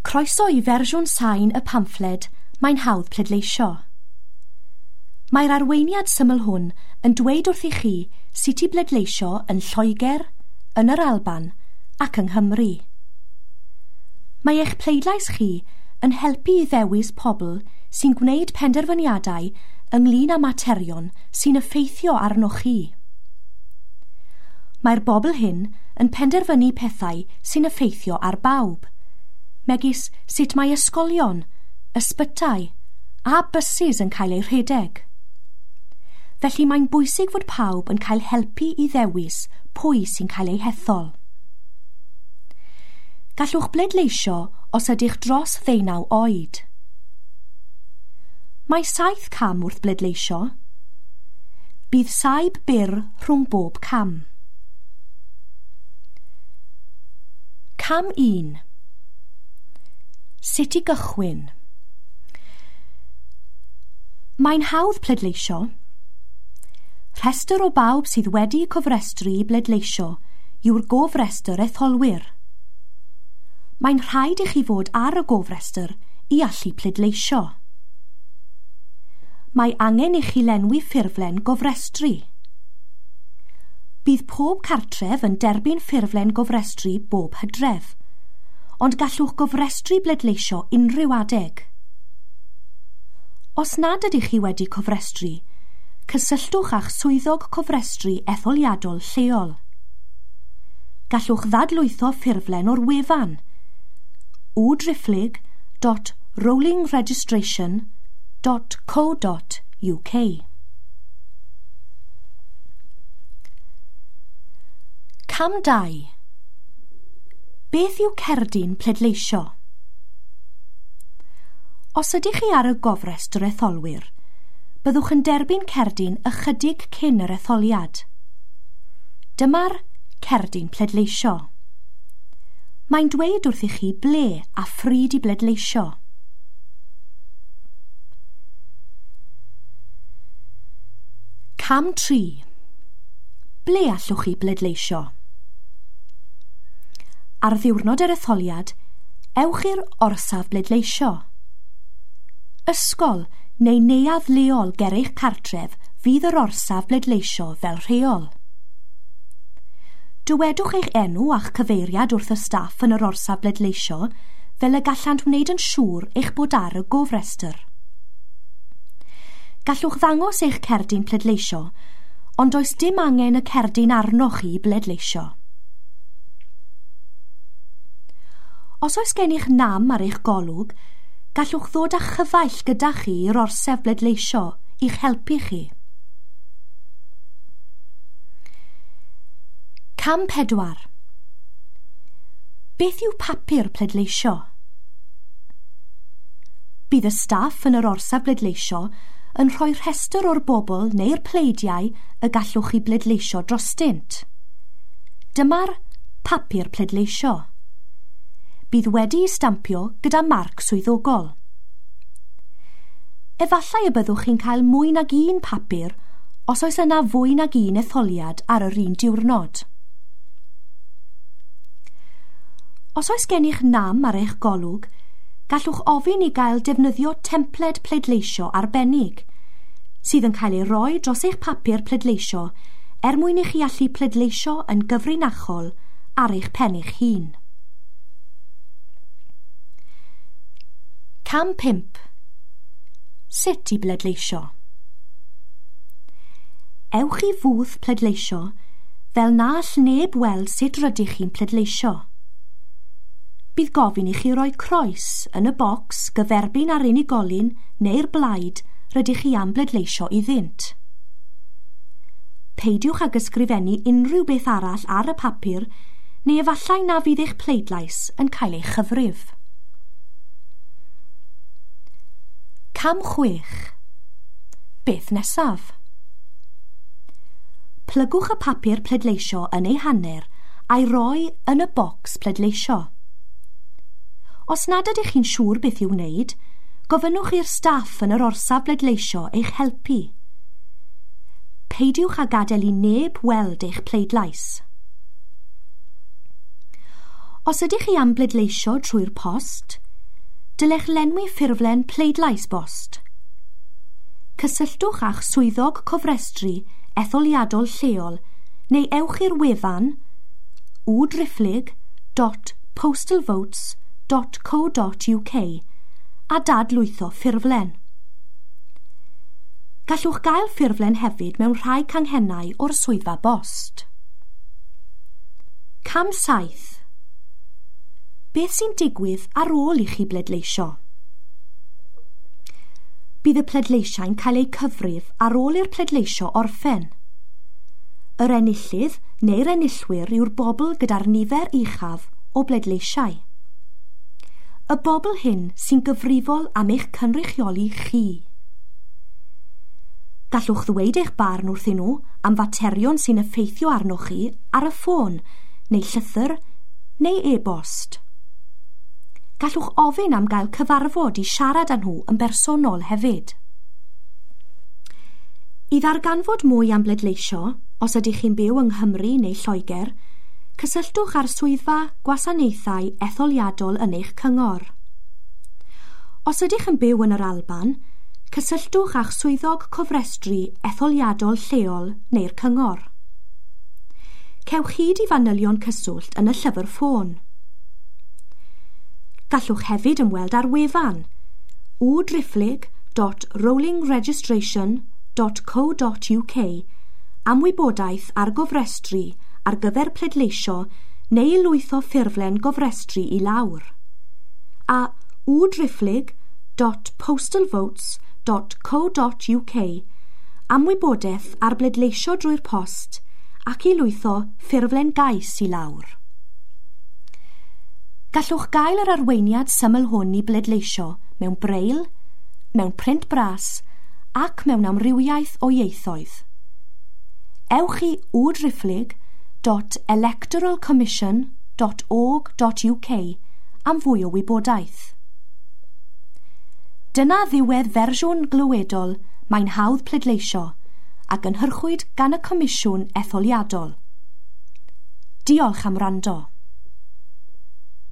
Croeso i fersiwn sain y pamffled Mae'n hawdd pleidleisio. Mae'r arweiniad syml hwn yn dweud wrthych chi sut i bleidleisio yn Lloegr, yn yr Alban ac yng Nghymru. Mae eich pleidlais chi yn helpu i ddewis pobl sy'n gwneud penderfyniadau ynglyn â materion sy'n effeithio arnoch chi. Mae'r bobl hyn yn penderfynu pethau sy'n effeithio ar bawb, megis sut mae ysgolion, ysbytai a bysus yn cael eu rhedeg. Felly mae'n bwysig fod pawb yn cael helpu i ddewis pwy sy'n cael eu hethol. Gallwch bleidleisio os ydych dros 19 oed. Mae 7 cam wrth bleidleisio. Bydd saib byr rhwng bob cam. Cam 1. Sut i gychwyn? Mae'n hawdd pleidleisio. Rhestr o bawb sydd wedi cofrestru i bleidleisio yw'r gofrestr etholwyr. Mae'n rhaid i chi fod ar y gofrestr i allu pleidleisio. Mae angen i chi lenwi ffurflen gofrestru. Bydd pob cartref yn derbyn ffurflen gofrestru bob hydref, ond gallwch gofrestru bleidleisio unrhyw adeg. Os nad ydych chi wedi cofrestru, cysylltwch â'ch swyddog cofrestru etholiadol lleol. Gallwch ddadlwytho ffurflen o'r wefan www.rollingregistration.co.uk. Cam 2. Beth yw cerdyn pleidleisio? Os ydych chi ar y gofrestr etholwyr, byddwch yn derbyn cerdyn ychydig cyn yr etholiad. Dyma'r cerdyn pleidleisio. Mae'n dweud wrthych chi ble a phryd i bleidleisio. Cam 3. Ble allwch chi bleidleisio? Ar ddiwrnod yr etholiad, ewch i'r orsaf bleidleisio. Ysgol neu neuadd leol ger eich cartref fydd yr orsaf bleidleisio fel rheol. Dywedwch eich enw a'ch cyfeiriad wrth y staff yn yr orsaf bleidleisio fel y gallant wneud yn siŵr eich bod ar y gofrestr. Gallwch ddangos eich cerdyn pleidleisio, ond does dim angen y cerdyn arnoch chi i bleidleisio. Os oes gennych nam ar eich golwg, gallwch ddod â chyfaill gyda chi i'r orsaf bleidleisio i'ch helpu chi. Cam 4. Beth yw papur pleidleisio? Bydd y staff yn yr orsaf bleidleisio yn rhoi rhestr o'r bobl neu'r pleidiau y gallwch chi bleidleisio drostynt. Dyma'r papur pleidleisio. Bydd wedi'i stampio gyda marc swyddogol. Efallai y byddwch chi'n cael mwy nag un papur os oes yna fwy nag un etholiad ar yr un diwrnod. Os oes gennych nam ar eich golwg, gallwch ofyn i gael defnyddio templed pleidleisio arbennig, sydd yn cael ei roi dros eich papur pleidleisio er mwyn i chi allu pleidleisio yn gyfrinachol ar eich pen eich hun. Cam 5. Sut i bleidleisio? Ewch i fwth pleidleisio fel na all neb weld sut rydych chi'n pleidleisio. Bydd gofyn i chi roi croes yn y bocs gyferbyn ar unigolyn neu'r blaid rydych chi am bleidleisio iddynt. Peidiwch ag ysgrifennu unrhyw beth arall ar y papur neu efallai na fydd eich pleidlais yn cael ei chyfrif. Cam 6. Beth nesaf? Plygwch y papur pleidleisio yn ei hanner a'i roi yn y bocs pleidleisio. Os nad ydych chi'n siŵr beth i'w wneud, gofynnwch i'r staff yn yr orsaf bleidleisio eich helpu. Peidiwch â gadael i neb weld eich pleidlais. Os ydych chi am bleidleisio trwy'r post, dylech lenwi ffurflen pleidlais bost. Cysylltwch â'ch swyddog cofrestru etholiadol lleol neu ewch i'r wefan www.postalvotes.co.uk a dadlwytho ffurflen. Gallwch gael ffurflen hefyd mewn rhai canghennau o'r swyddfa bost. Cam 7. Beth sy'n digwydd ar ôl i chi bledleisio? Bydd y pledleisiau'n cael eu cyfrif ar ôl i'r pledleisio orffen. Yr enillydd neu'r enillwyr yw'r bobl gyda'r nifer uchaf o bledleisiau. Y bobl hyn sy'n gyfrifol am eich cynrychioli chi. Gallwch ddweud eich barn wrthyn nhw am faterion sy'n effeithio arnoch chi ar y ffôn, neu llythyr, neu e-bost. Gallwch ofyn am gael cyfarfod i siarad â nhw yn bersonol hefyd. I ddarganfod mwy am bledleisio, os ydych chi'n byw yng Nghymru neu Lloegr, cysylltwch â'r swyddfa gwasanaethau etholiadol yn eich cyngor. Os ydych yn byw yn yr Alban, cysylltwch â'ch swyddog cofrestru etholiadol lleol neu'r cyngor. Cewch hyd i fanylion cyswllt yn y llyfr ffôn. Gallwch hefyd ymweld â'r wefan www.rollingregistration.co.uk am wybodaeth ar gofrestru ar gyfer pleidleisio neu lwytho ffurflen gofrestru i lawr. A www.postalvotes.co.uk am wybodaeth ar bleidleisio drwy'r post ac i lwytho ffurflen gais i lawr. Gallwch gael yr arweiniad syml hwn i bleidleisio mewn braille, mewn print bras ac mewn amrywiaeth o ieithoedd. Ewch i www.electoralcommission.org.uk am fwy o wybodaeth. Dyna ddiwedd fersiwn glywedol Mae'n hawdd pleidleisio a gynhyrchwyd gan y Comisiwn Etholiadol. Diolch am wrando.